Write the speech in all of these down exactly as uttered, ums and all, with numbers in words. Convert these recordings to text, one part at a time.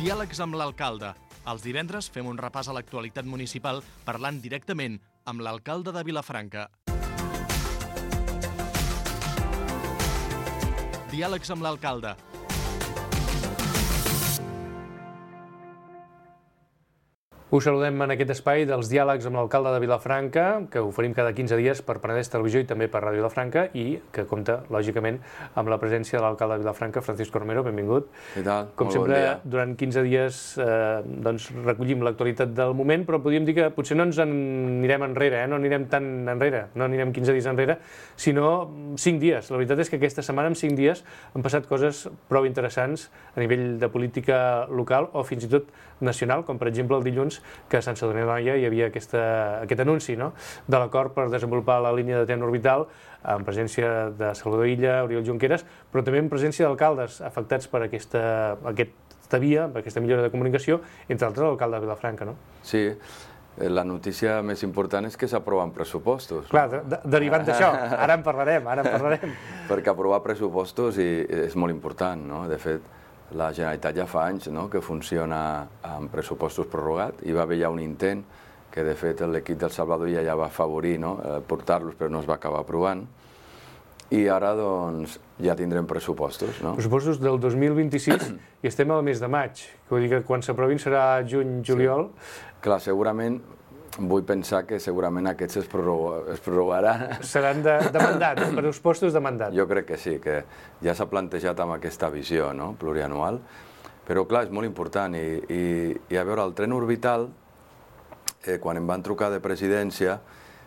Diàlegs amb l'alcalde. Els divendres fem un repàs a l'actualitat municipal parlant directament amb l'alcalde de Vilafranca. Diàlegs amb l'alcalde. Us saludem en aquest espai dels diàlegs amb l'alcalde de Vilafranca, que oferim cada quinze dies per Penedès Televisió i també per Ràdio Vilafranca, i que compta, lògicament, amb la presència de l'alcalde de Vilafranca, Francisco Romero. Benvingut. Què tal? Com Molt sempre, bon dia. durant quinze dies eh, doncs, recollim l'actualitat del moment, però podríem dir que potser no ens en anirem enrere, eh? no anirem tan enrere, no anirem quinze dies enrere, sinó cinc dies. La veritat és que aquesta setmana, en cinc dies, han passat coses prou interessants a nivell de política local o fins i tot nacional, com per exemple el dilluns que a Sant Sadurní d'Anoia hi havia aquesta, aquest anunci, no?, de l'acord per desenvolupar la línia de tren orbital en presència de Salvador Illa, Oriol Junqueras, però també en presència d'alcaldes afectats per aquesta, aquesta via, per aquesta millora de comunicació, entre altres l'alcalde de Vilafranca, no? Sí, la notícia més important és que s'aproven pressupostos. Clar, de, de, derivant d'això, ara en parlarem, ara en parlarem. Perquè aprovar pressupostos i, és molt important, no? De fet, la Generalitat ja fa anys, no?, que funciona amb pressupostos prorrogats. Hi va haver ja un intent que, de fet, l'equip del Salvador ja, ja va afavorir, no?, portar-los, però no es va acabar aprovant. I ara, doncs, ja tindrem pressupostos, no? Pressupostos del dos mil vint-i-sis i estem al mes de maig. Vull dir que quan s'aprovin serà juny, juliol. Sí. Clar, segurament, vull pensar que segurament aquests es, prorroga, es prorrogaran. Seran de, de mandat, pressupostos de mandat. Jo crec que sí, que ja s'ha plantejat amb aquesta visió, no?, plurianual. Però, clar, és molt important. I, i, i a veure, el tren orbital, eh, quan em van trucar de presidència,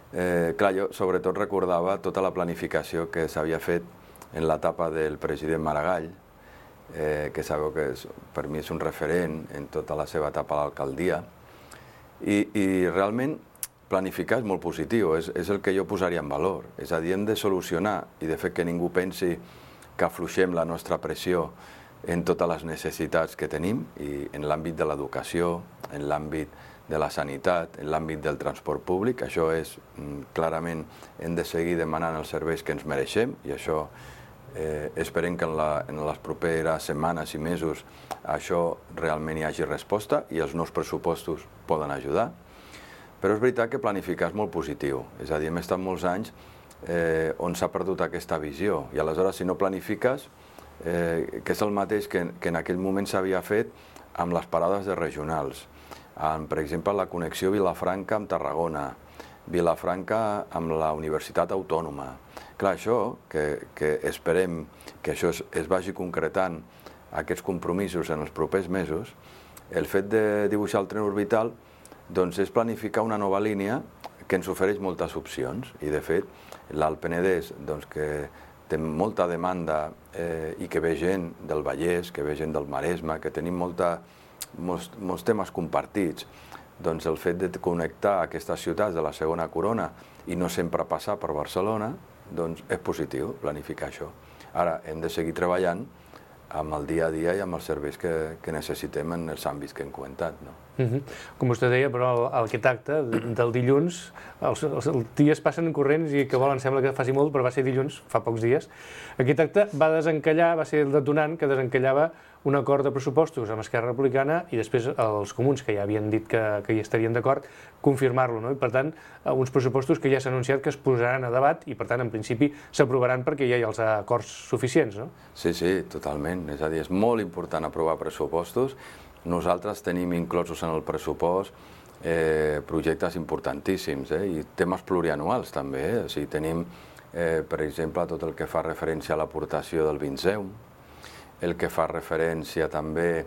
eh, clar, jo sobretot recordava tota la planificació que s'havia fet en l'etapa del president Maragall, eh, que sabeu que és, per mi és un referent en tota la seva etapa a l'alcaldia. I, i realment planificar és molt positiu, és, és el que jo posaria en valor. És a dir, hem de solucionar i de fet que ningú pensi que afluixem la nostra pressió en totes les necessitats que tenim, i en l'àmbit de l'educació, en l'àmbit de la sanitat, en l'àmbit del transport públic. Això és, clarament, hem de seguir demanant els serveis que ens mereixem, i això eh, esperem que en, la, en les properes setmanes i mesos això realment hi hagi resposta i els nous pressupostos poden ajudar. Però és veritat que planificar és molt positiu. És a dir, hem estat molts anys eh, on s'ha perdut aquesta visió, i aleshores si no planifiques, eh, que és el mateix que, que en aquell moment s'havia fet amb les parades de regionals, amb, per exemple, la connexió Vilafranca amb Tarragona, Vilafranca amb la Universitat Autònoma. Clar, això, que, que esperem que això es, es vagi concretant, aquests compromisos en els propers mesos, el fet de dibuixar el tren orbital doncs és planificar una nova línia que ens ofereix moltes opcions. I, de fet, l'Alt Penedès, doncs, que té molta demanda eh, i que ve gent del Vallès, que ve gent del Maresme, que tenim molta, molts, molts temes compartits, doncs el fet de connectar aquestes ciutats de la segona corona i no sempre passar per Barcelona, doncs és positiu planificar això. Ara hem de seguir treballant amb el dia a dia i amb els serveis que, que necessitem en els àmbits que hem comentat, no? Uh-huh. Com vostè deia, però el, aquest acte del dilluns, els, els dies passen corrents i que volen, sembla que faci molt, però va ser dilluns, fa pocs dies. Aquest acte va desencallar, va ser el detonant que desencallava un acord de pressupostos amb Esquerra Republicana i després els comuns, que ja havien dit que, que hi estarien d'acord, confirmar-lo, no? I per tant, uns pressupostos que ja s'ha anunciat que es posaran a debat i per tant, en principi, s'aprovaran perquè ja hi ha els acords suficients, no? Sí, sí, totalment. És a dir, és molt important aprovar pressupostos. Nosaltres tenim inclosos en el pressupost eh, projectes importantíssims, eh, i temes plurianuals també. Eh? O sigui, tenim, eh, per exemple, tot el que fa referència a l'aportació del Vinceum, el que fa referència també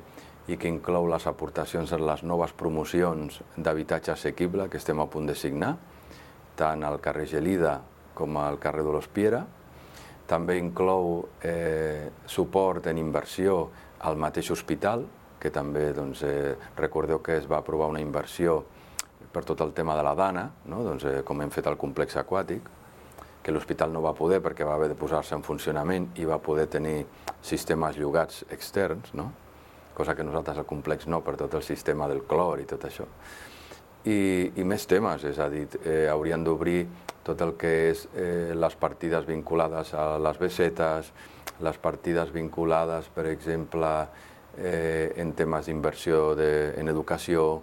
i que inclou les aportacions en les noves promocions d'habitatge assequible que estem a punt de signar, tant al carrer Gelida com al carrer de l'Hospiera. També inclou eh, suport en inversió al mateix hospital, que també, doncs, eh, recordeu que es va aprovar una inversió per tot el tema de la Dana, no? Doncs, eh, com hem fet el complex aquàtic, que l'hospital no va poder perquè va haver de posar-se en funcionament i va poder tenir sistemes llogats externs, no? Cosa que nosaltres al complex no, per tot el sistema del clor i tot això. I, i més temes, és a dir, eh, haurien d'obrir tot el que és eh, les partides vinculades a les besetes, les partides vinculades, per exemple, eh, en temes d'inversió en educació.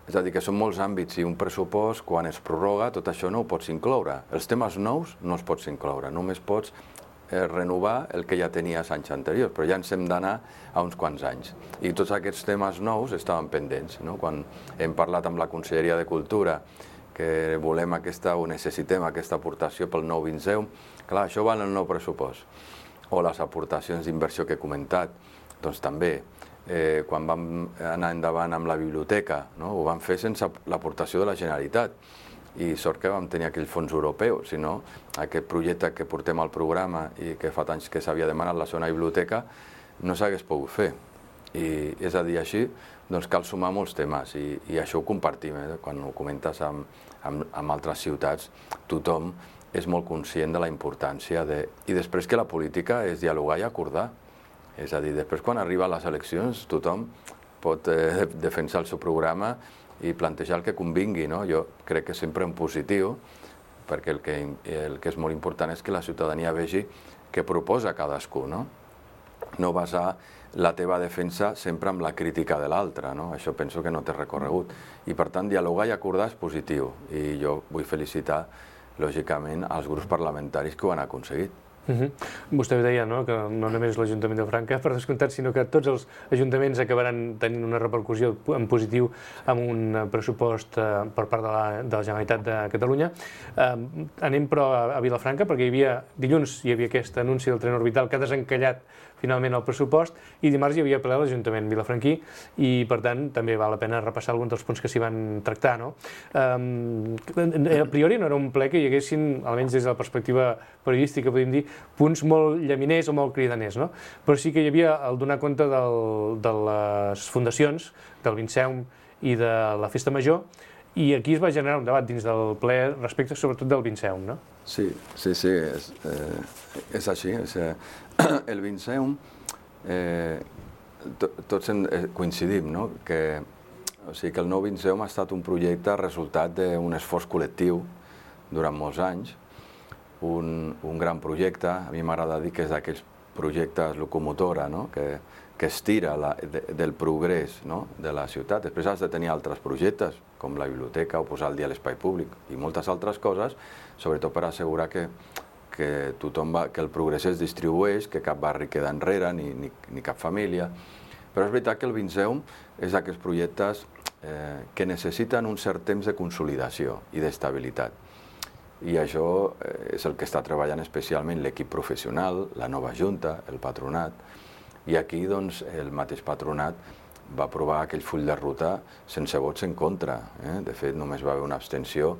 És a dir, que són molts àmbits i un pressupost, quan es prorroga, tot això no ho pots incloure. Els temes nous no els pots incloure, només pots eh, renovar el que ja tenies anys anteriors, però ja ens hem d'anar a uns quants anys. I tots aquests temes nous estaven pendents, no? Quan hem parlat amb la Conselleria de Cultura que volem aquesta, o necessitem aquesta aportació pel nou Vinceum, clar, això va en el nou pressupost. O les aportacions d'inversió que he comentat, doncs també. Eh, quan vam anar endavant amb la biblioteca, no? Ho vam fer sense l'aportació de la Generalitat i sort que vam tenir aquell fons europeu, si no aquest projecte que portem al programa i que fa anys que s'havia demanat la zona biblioteca no s'hagués pogut fer. I és a dir, així doncs cal sumar molts temes i, i això ho compartim, eh? Quan ho comentes amb, amb, amb altres ciutats, tothom és molt conscient de la importància de... I després que la política és dialogar i acordar. És a dir, després quan arriben les eleccions tothom pot eh, defensar el seu programa i plantejar el que convingui, no? Jo crec que sempre en positiu, perquè el que, el que és molt important és que la ciutadania vegi què proposa cadascú, no? No basar la teva defensa sempre amb la crítica de l'altre, no? Això penso que no té recorregut. I per tant, dialogar i acordar és positiu. I jo vull felicitar, lògicament, als grups parlamentaris que ho han aconseguit. Uh-huh. Vostè deia, no?, que no només l'Ajuntament de Franca, per descomptat, sinó que tots els ajuntaments acabaran tenint una repercussió en positiu amb un pressupost eh, per part de la, de la Generalitat de Catalunya. Eh, anem però a, a Vilafranca, perquè hi havia, dilluns hi havia aquest anunci del tren orbital que ha desencallat finalment el pressupost, i dimarts hi havia ple a l'Ajuntament vilafranquí, i per tant també val la pena repassar alguns dels punts que s'hi van tractar, no? Eh, a priori no era un ple que hi haguessin, almenys des de la perspectiva periodística, podríem dir, punts molt llaminers o molt cridaners, no? Però sí que hi havia el donar compte del, de les fundacions, del Vinceum i de la Festa Major, i aquí es va generar un debat dins del ple respecte sobretot del Vinceum, no? Sí, sí, sí, és, eh, és així. És, eh, el Vinceum, eh, to, tots en, eh, coincidim, no? Que, o sigui, que el nou Vinceum ha estat un projecte resultat d'un esforç col·lectiu durant molts anys, un, un gran projecte. A mi m'agrada dir que és d'aquells projectes locomotora, no? que, que estira la, de, del progrés, no? de la ciutat. Després has de tenir altres projectes, com la biblioteca o posar al dia l'espai públic i moltes altres coses, sobretot per assegurar que, que, tothom va, que el progrés es distribueix, que cap barri queda enrere, ni, ni, ni cap família. Però és veritat que el Vinceum és d'aquests projectes eh, que necessiten un cert temps de consolidació i d'estabilitat. I això és el que està treballant especialment l'equip professional, la nova Junta, el patronat. I aquí doncs, el mateix patronat va aprovar aquell full de ruta sense vots en contra. Eh? De fet, només va haver una abstenció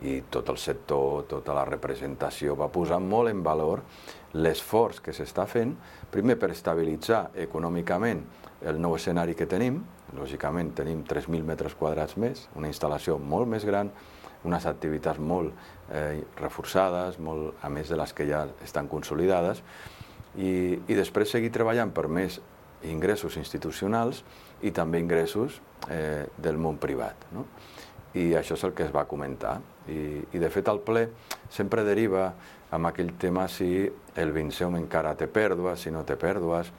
i tot el sector, tota la representació va posar molt en valor l'esforç que s'està fent, primer per estabilitzar econòmicament el nou escenari que tenim. Lògicament tenim tres mil metres quadrats més, una instal·lació molt més gran, unes activitats molt eh, reforçades, molt, a més de les que ja estan consolidades, i, i després seguir treballant per més ingressos institucionals i també ingressos eh, del món privat, no? I això és el que es va comentar. I, i de fet el ple sempre deriva amb aquell tema si el Vinceum encara té pèrdues, si no té pèrdues.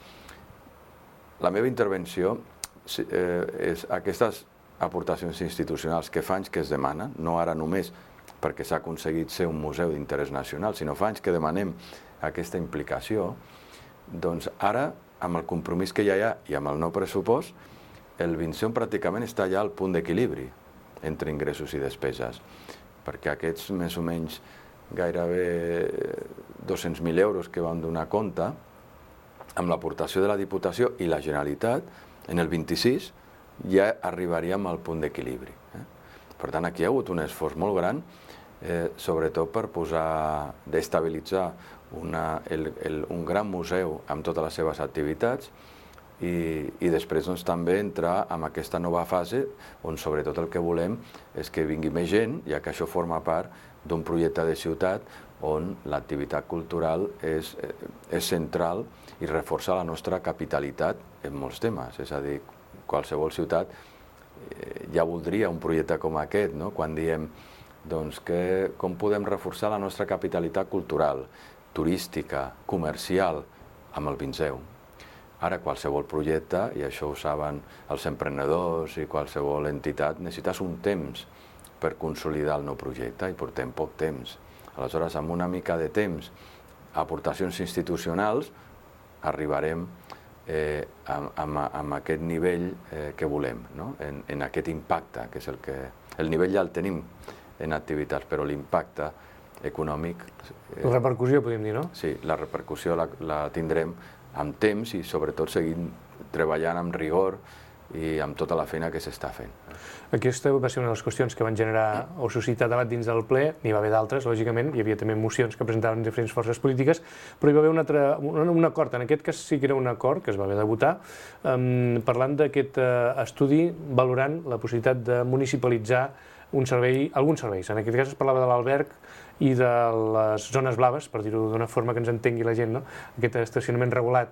La meva intervenció eh, és aquestes aportacions institucionals que fa anys que es demanen, no ara només perquè s'ha aconseguit ser un museu d'interès nacional, sinó fa anys que demanem aquesta implicació, doncs ara, amb el compromís que ja hi ha i amb el nou pressupost, el Vinceum pràcticament està ja al punt d'equilibri entre ingressos i despeses, perquè aquests més o menys gairebé dos-cents mil euros que van donar compte, amb l'aportació de la Diputació i la Generalitat, en el vint-i-sis ja arribaríem al punt d'equilibri. Eh? Per tant, aquí hi ha hagut un esforç molt gran, eh, sobretot per posar, d'estabilitzar una, el, el, un gran museu amb totes les seves activitats i, i després doncs, també entrar en aquesta nova fase on sobretot el que volem és que vingui més gent, ja que això forma part d'un projecte de ciutat on l'activitat cultural és, és central i reforça la nostra capitalitat en molts temes. És a dir, qualsevol ciutat eh, ja voldria un projecte com aquest, no? Quan diem doncs, que, com podem reforçar la nostra capitalitat cultural, turística, comercial, amb el Vinceum. Ara, qualsevol projecte, i això ho saben els emprenedors i qualsevol entitat, necessites un temps per consolidar el nou projecte, i portem poc temps. Aleshores, amb una mica de temps, aportacions institucionals, arribarem eh, amb, amb, amb aquest nivell eh, que volem, no? en, en aquest impacte, que és el que... El nivell ja el tenim en activitats, però l'impacte econòmic... Eh, la repercussió, podríem dir, no? Sí, la repercussió la, la tindrem amb temps i sobretot seguint treballant amb rigor i amb tota la feina que s'està fent. Aquesta va ser una de les qüestions que van generar o suscitar debat dins del ple. N'hi va haver d'altres, lògicament, hi havia també mocions que presentaven diferents forces polítiques, però hi va haver un, altre, un, un acord, en aquest cas sí que era un acord que es va haver de votar, um, parlant d'aquest uh, estudi valorant la possibilitat de municipalitzar un servei, alguns serveis. En aquest cas es parlava de l'alberg i de les zones blaves, per dir-ho d'una forma que ens entengui la gent, no? Aquest estacionament regulat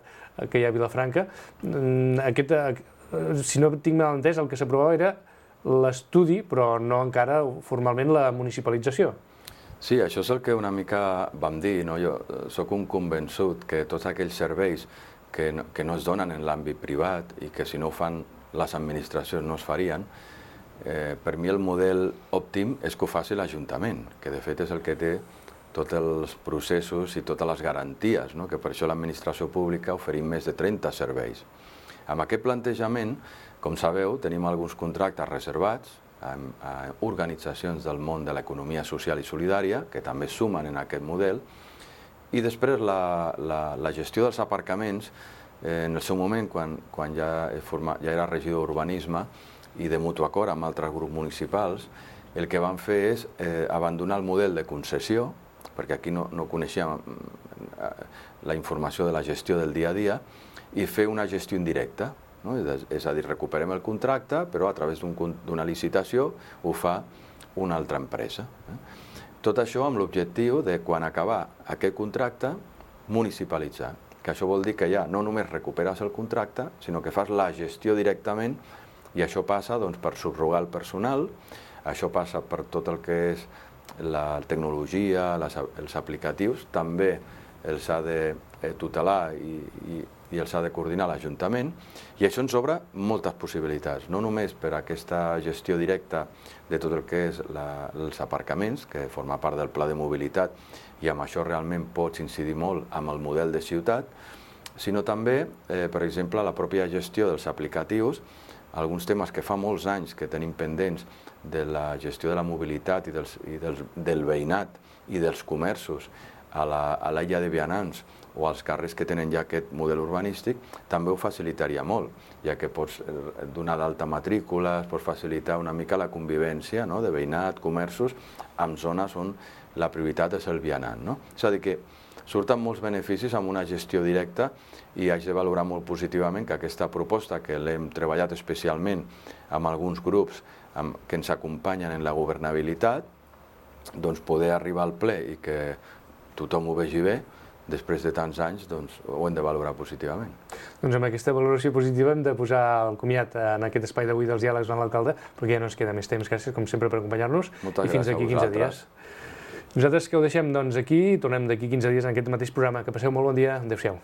que hi ha a Vilafranca. Aquest, si no tinc mal entès, el que s'aprovava era l'estudi, però no encara formalment la municipalització. Sí, això és el que una mica vam dir, no? Jo sóc un convençut que tots aquells serveis que no, que no es donen en l'àmbit privat i que si no ho fan les administracions no es farien, Eh, per mi el model òptim és que ho faci l'Ajuntament, que de fet és el que té tots els processos i totes les garanties, no? Que per això l'administració pública oferim més de trenta serveis. Amb aquest plantejament, com sabeu, tenim alguns contractes reservats a, a organitzacions del món de l'economia social i solidària, que també sumen en aquest model, i després la, la, la gestió dels aparcaments, eh, en el seu moment, quan, quan ja, forma, ja era regidor d'urbanisme, i de mutu acord amb altres grups municipals, el que van fer és eh, abandonar el model de concessió, perquè aquí no, no coneixíem eh, la informació de la gestió del dia a dia, i fer una gestió indirecta, no? És a dir, recuperem el contracte, però a través d'una licitació ho fa una altra empresa. Eh? Tot això amb l'objectiu de, quan acabar aquest contracte, municipalitzar, que això vol dir que ja no només recuperes el contracte, sinó que fas la gestió directament. I això passa doncs, per subrogar el personal, això passa per tot el que és la tecnologia, les, els aplicatius, també els ha de tutelar i, i, i els ha de coordinar l'Ajuntament, i això ens obre moltes possibilitats, no només per aquesta gestió directa de tot el que és la, els aparcaments, que forma part del pla de mobilitat, i amb això realment pots incidir molt amb el model de ciutat, sinó també, eh, per exemple, la pròpia gestió dels aplicatius, alguns temes que fa molts anys que tenim pendents de la gestió de la mobilitat i, dels, i dels, del veïnat i dels comerços a l'illa de vianants o als carrers que tenen ja aquest model urbanístic, també ho facilitaria molt, ja que pots donar d'alta matrícules, pots facilitar una mica la convivència, no?, de veïnat, comerços, en zones on la prioritat és el vianant. No? És a dir, que surten molts beneficis amb una gestió directa i haig de valorar molt positivament que aquesta proposta, que l'hem treballat especialment amb alguns grups amb, que ens acompanyen en la governabilitat, doncs poder arribar al ple i que tothom ho vegi bé, després de tants anys, doncs ho hem de valorar positivament. Doncs amb aquesta valoració positiva hem de posar el comiat en aquest espai d'avui dels diàlegs amb l'alcalde, perquè ja no ens queda més temps. Gràcies, com sempre, per acompanyar-nos. Moltes i fins gràcies aquí a quinze vosaltres. dies. Nosaltres que ho deixem doncs, aquí, tornem d'aquí quinze dies en aquest mateix programa. Que passeu molt bon dia. Adéu-siau.